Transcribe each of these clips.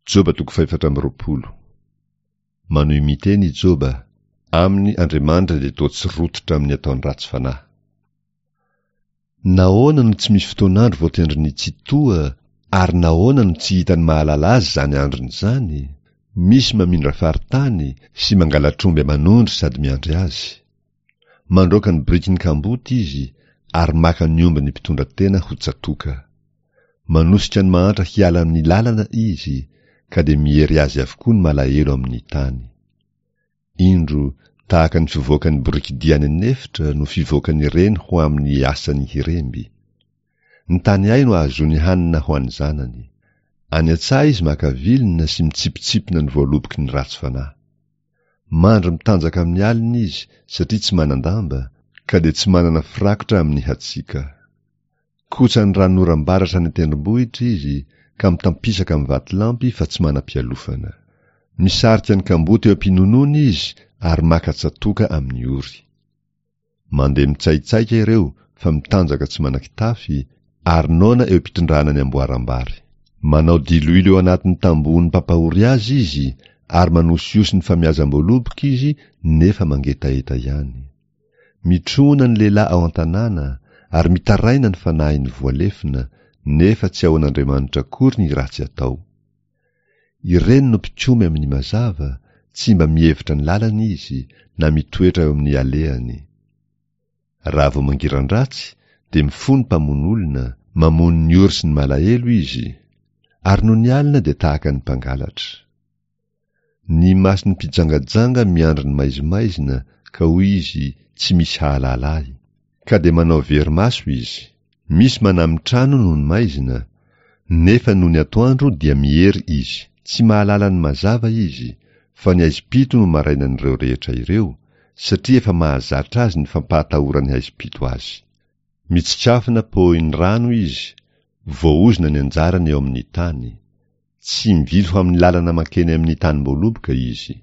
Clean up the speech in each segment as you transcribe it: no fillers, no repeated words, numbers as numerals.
Joba toko fahefatra amby roapolo. Manohy miteny i Joba, Aminy Andriamanitra dia toa tsy rototra amin'ny ataon'ny ratsy fanahy. Nahoana no tsy misy fotoan'andro voatendrin'ny Tsitoha, ary nahoana no tsy hitan'ny mahalala azy izany androny izany? Misy mamindra faritany sy mangalatr'omby aman'ondry sady miandry azy. Mandroaka ny birikin'ny kamboty izy ary maka ny ombin'ny mpitondra tena ho tsatoka. Manosika ny mahantra hiala amin'ny lalana izy, ka dia miery azy avokoa ny malahelo amin'ny tany. Indro, tahaka ny fivoakan'ny borikidia any an'efitra no fivoakan'ireny ho amin'ny asany hiremby. Ny tany hay no ahazoany hanina ho an'ny zanany. Any an-tsaha izy maka vilona sy mitsipitsipona ny voaloboky ny ratsy fanahy. Mandry mitanjaka amin'ny alina izy satria tsy manan-damba, ka dia tsy manana firakotra amin'ny hatsiaka. Kotsan'ny ranonoram-baratra any an-tendrombohitra izy ka mitampisaka amin'ny vatolampy fa tsy manam-pialofana. Misarika ny kamboty eo am-pinonoana izy ary maka tsatoka amin'ny ory. Mandeha mitsaitsaika ireo fa mitanjaka tsy manan-kitafy ary noana eo am-pitondrana ny amboaram-bary. Manao diloilo eo anatin'ny tambohon'ny mpampahory azy izy ary manosihosy ny famiazam-boaloboka izy nefa mangetaheta ihany. Mitrona ny lehilahy ao an-tanàna ary mitaraina ny fanahiny voalefona nefa tsy ahoan'Andriamanitra akory ny ratsy atao. Ireny no mpikomy amin'ny mazava, tsy mba mihevitra ny lalany izy na mitoetra eo amin'ny alehany. Raha vao mangiran-dratsy dia mifoha ny mpamono olona, mamono ny ory sy ny malahelo izy, ary nony alina dia tahaka ny mpangalatra. Ny mason'ny mpijangajanga miandry ny maizimaizina ka hoy izy tsy misy hahalala ahy. Ka dia manao very maso izy. Misy manami-trano noho ny maizina, nefa nony atoandro dia miery izy. Tsy mahalala ny mazava izy, fa ny haizim-pito no marainan'ireo rehetra ireo, satria efa mahazatra azy ny fampahatahoran'ny haizim-pito azy. Mitsikafona pohin'ny rano izy, voaozona ny anjarany eo amin'ny tany. Tsy mivily ho amin'ny lalana mankeny amin'ny tanim-boaloboka izy.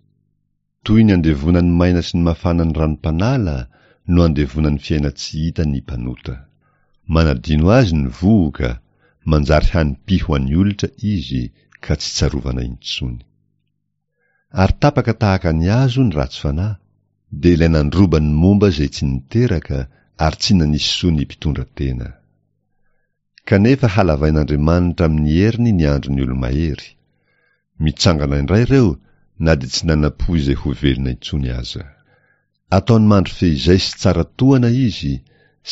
Toy ny andevonan'ny maina sy ny mafana ny ranom-panala no andevonan'ny fiainan-tsy hita ny mpanota. Manadino azy ny vohoka, manjary hanim-py ho an'ny olitra izy ka tsy tsarovana intsony. Ary tapaka tahaka ny hazo ny ratsy fanahy, dia ilay nandroba ny momba izay tsy niteraka ary tsy nanisy soa ny mpitondra tena. Kanefa halavain'Andriamanitra amin'ny heriny ny andron'ny olo-mahery. Mitsangana indray ireo na dia tsy nanam-po izay ho velona intsony aza. Ataony mandry feizay sy tsara tohana izy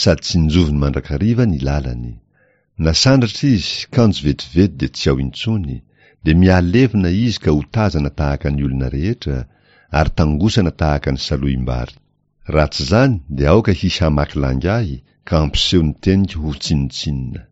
sady tsinjoviny mandrakariva ny lalany. Nasandratra izy kanjo vetivety dia tsy ao intsony, dia mihalevona izy ka hotazana tahaka ny olona rehetra ary tangosana tahaka ny salohim-bary. Raha tsy izany dia aoka hisy hamaky lainga ahy ka hampiseho ny teniko ho tsinontsinona.